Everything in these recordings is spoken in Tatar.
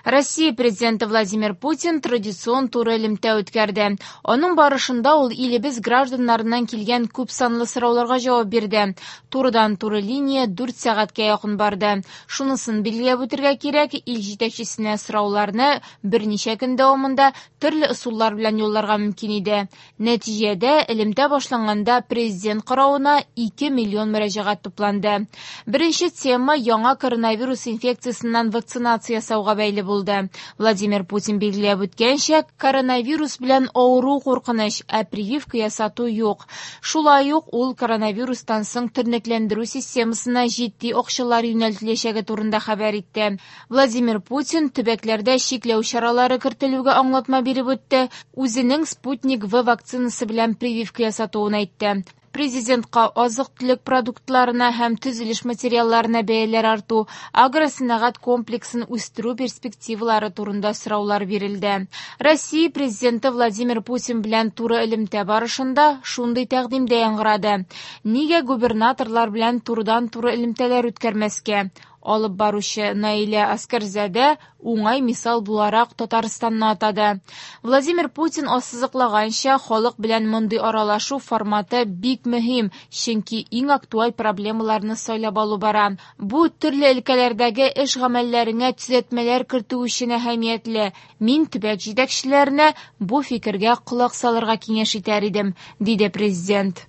Россия Президенты Владимир Путин традицион туры элемтә үткәрде. Аның барышында ул илебез гражданнарыннан килгән күпсанлы сорауларга җавап бирде. Турыдан-туры линия 4 сәгатькә якын барды. Шунысын билгеләп үтергә кирәк, ил җитәкчесенә сорауларны берничә көн дәвамында төрле ысуллар белән юлларга мөмкин иде. Нәтиҗәдә, элемтә башланганда президент каравына 2 миллион мөрәҗәгать тупланды. Беренче тема яңа коронавирус инфекциясеннән вакцинация ясауга бәйле булды. Владимир Путин билгеләп үткәнчә, коронавирус белән авыру куркыныч, ә прививка ясату юк. Шулай ук ул коронавирустан соң тернәкләндерү системасына җитди акчалар юнәлтеләчәге турында хәбәр итте. Владимир Путин төбәкләрдә чикләү чаралары кертелүгә аңлатма биреп үтте, үзенең Спутник В вакцинасы белән прививка ясатуын әйтте. Президентка азык-төлек продуктларына һәм төзелеш материалларына бәяләр арту, агросәнәгать комплексын үстерү перспективалары турында сораулар бирелде. Россия Президенты Владимир Путин белән туры элемтә барышында шундый тәкъдим дә яңгырады. Нигә губернаторлар белән турыдан-туры элемтәләр үткәрмәскә? Алып баручы Наилә Аскәрзадә уңай мисал буларак Татарстанны атады. Владимир Путин ассызыклаганча, халык белән мондый аралашу форматы бик мөһим, чөнки иң актуаль проблемаларны сайлап алу бара. Бу төрле өлкәләрдәге эш гамәлләреңә төзәтмәләр кертү өчен әһәмиятле. Мин төбәк җитәкчеләренә бу фикергә колак салырга киңәш итәр идем, диде президент.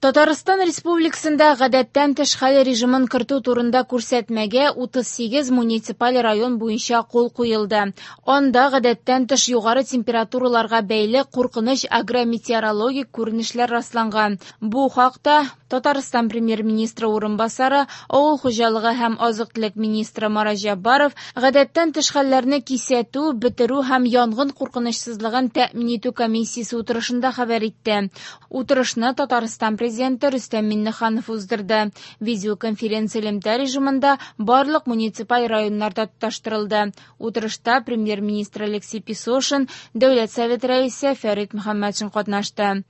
Татарстан Республикасында гадәттән тыш хәл режимын кертү турында күрсәтмәгә 38 муниципаль район буенча кул куелды. Анда гадәттән тыш югары температураларга бәйле куркыныч агрометеорологик күренешләр расланган. Бу хакта Татарстан премьер-министры урынбасары, авыл хуҗалыгы һәм азык-төлек министры Марат Җәббаров гадәттән тыш хәлләрне кисәтү, бетерү һәм янгын куркынычсызлыгын тәэмин итү комиссиясе утырышында хәбәр итте. Утырышны Татарстан президенты Рөстәм Миңнеханов уздырды. Видеоконференция элемтә режимында барлык муниципаль районнарда тоташтырылды. Утырышта премьер-министр Алексей Песошин, Дәүләт Советы рәисе Фәрит Мөхәммәтшин катнашты.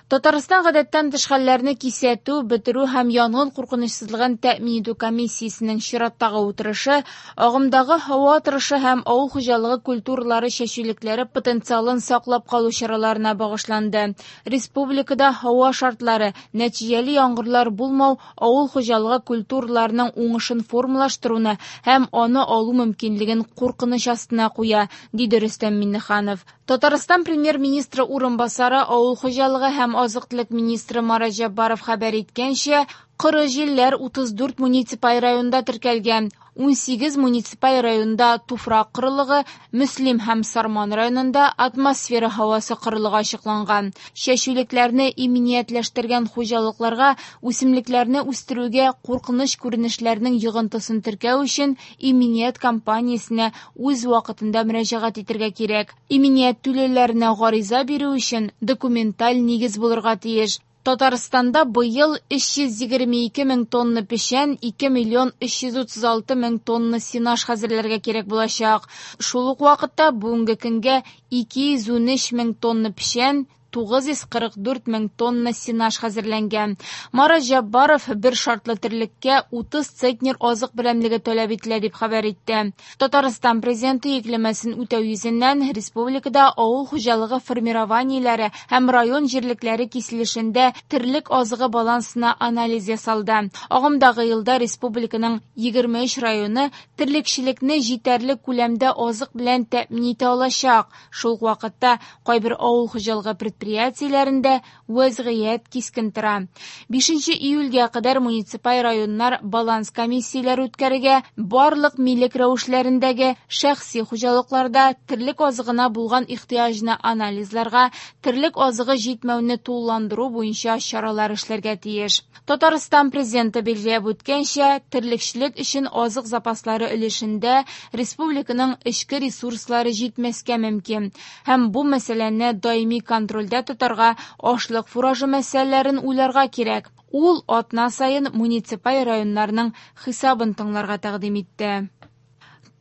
Татарстан гадәттән тыш хәлләрне кисәтү, бетерү һәм янгын куркынычсызлыгын тәэмин итү комиссиясенең чираттагы утырышы агымдагы һава торышы һәм авыл хуҗалыгы культуралары чәчүлекләре потенциалын саклап калу чараларына багышланды. Республикада һава шартлары, нәтиҗәле яңгырлар булмау авыл хуҗалыгы культураларының уңышын формалаштыруны һәм аны алу мөмкинлеген куркыныч астына куя, диде Рөстәм Миңнеханов. Татарстан премьер-министры урынбасары, авыл хуҗалыгы һәм азык-төлек министры Марат Җәббаров хәбәр иткәнчә, коры җилләр 34 муниципаль районда теркәлгән. 18 муниципаль районда туфрак корылыгы, Мөслим һәм Сарман районында атмосфера һавасы корылыгы ачыкланган. Чәчүлекләрне иминиятләштергән хуҗалыкларга үсемлекләрне үстерүгә куркыныч күренешләрнең йогынтысын теркәү өчен иминият компаниясенә үз вакытында мөрәҗәгать итәргә кирәк. Иминият түләүләренә гариза бирү өчен документаль нигез булырга тиеш. Татарстанда быел 322 мең тонна печән, 2 миллион 336 мең тонна сенаж хәзерләргә кирәк булачак. Шул ук вакытта бүгенге көнгә 213 мең тонна печән, 944 мең тонна сенаж хәзерләнгән. Марат Җәббаров бер шартлы терлеккә 30 центнер азык берәмлеге таләп ителә дип хәбәр итте. Татарстан президенты йөкләмәсен үтәү йөзеннән республикада авыл хуҗалыгы формированиеләре һәм район җирлекләре киселешендә терлек азыгы балансына анализ ясалды. Агымдагы елда республиканың 23 районы терлекчелекне җитәрлек күләмдә азык белән тәэмин итә алачак. Шул ук вакытта кайбер авыл хуҗалыгы предприятиеләрендә вәзгыять кискен тора. 5 июльгә кадәр муниципаль районнар баланс комиссияләре үткәрергә, барлык милек рәвешләрендәге шәхси хуҗалыкларда терлек азыгына булган ихтыяҗны анализларга, терлек азыгы җитмәүне тулыландыру буенча чаралар эшләргә тиеш. Татарстан президенты билгеләп үткәнчә, терлекчелек өчен азык запаслары өлешендә республиканың эчке ресурслары җитмәскә мөмкин. Һәм бу мәсьәләне даими контрольдә тотарга, ашлык фуражы мәсьәләләрен уйларга кирәк. Ул атна саен муниципаль районнарның хисабын тыңларга тәкъдим итте.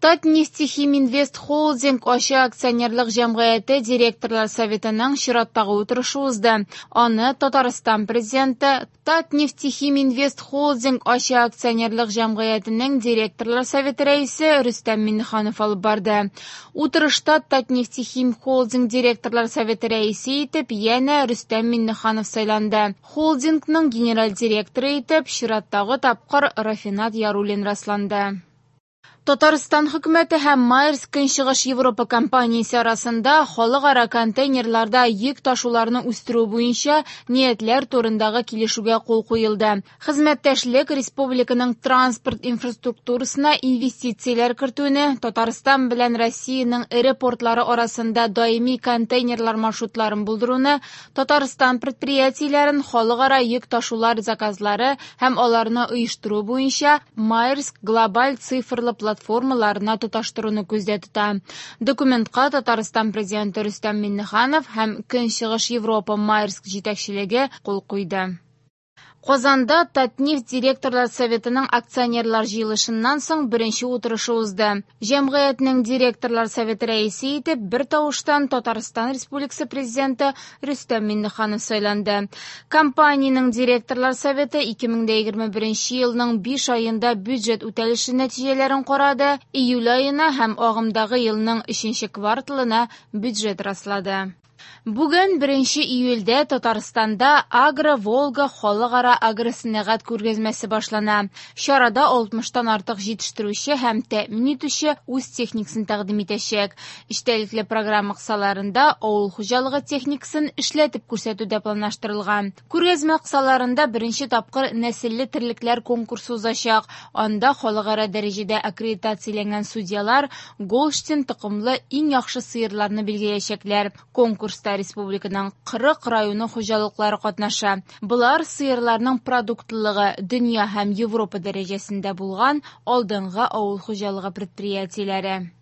Татнефтехиминвест-Холдинг ачык акционерлык җәмгыяте директорлар советының чираттагы утырышы узды. Аны Татарстан Президенты, Татнефтехиминвест-Холдинг ачык акционерлык җәмгыятенең директорлар советы рәисе Рөстәм Миңнеханов алып барды. Утырышта Татнефтехим-Холдинг директорлар советы рәисе итеп янә Рөстәм Миңнеханов сайланды. Холдингның генераль директоры итеп чираттагы тапкыр Рафинат Яруллин расланды. Татарстан хөкүмәте һәм Maersk Көнчыгыш Европа компаниясе арасында халыкара контейнерларда йөк ташуларны үстерү буенча ниятләр турындагы килешүгә кул куелды. Хезмәттәшлек республиканың транспорт инфраструктурасына инвестицияләр кертүне, Татарстан белән Россиянең эре портлары арасында даими контейнерлар маршрутларын булдыруны, Татарстан предприятиеләрен халыкара йөк ташулар заказлары һәм аларны оештыру буенча Maersk глобаль цифрлы платформаларына тоташтыруны күздә тота. Документка Татарстан Президенты Рөстәм Миңнеханов һәм Көнчыгыш Европа Maersk җитәкчелеге кул куйды. Казанда Татнефть директорлар советының акционерлар җыелышыннан соң беренче утырышы узды. Җәмгыятьнең директорлар советы рәисе итеп бер тавыштан Татарстан Республикасы Президенты Рөстәм Миңнеханов сайланды. Компаниянең директорлар советы 2021 елның 5 аенда бюджет үтәлеше нәтиҗәләрен карады, июль аена һәм агымдагы елның 3 кварталына бюджет раслады. Бүген 1 июльдә Татарстанда Агро-Волга халыкара агросәнәгать күргәзмәсе башлана. Чарада 60-тан артык җитештерүче һәм тәэмин итүче үз техникасын тәкъдим итәчәк. Эчтәлекле программа кысаларында авыл хуҗалыгы техникасын эшләтеп күрсәтү дә планлаштырылган. Күргәзмә кысаларында беренче тапкыр нәселле терлекләр конкурсы узачак. Анда халыкара дәрәҗәдә аккредитацияләнгән судьялар Голштин токымлы иң яхшы сыерларны билгеләячәкләр. Конкурста республиканың 40 районы хуҗалыклары катнаша. Болар сыерларның продуктлылыгы дөнья һәм Европа дәрәҗәсендә булган алдынгы авыл хуҗалыгы предприятиеләре.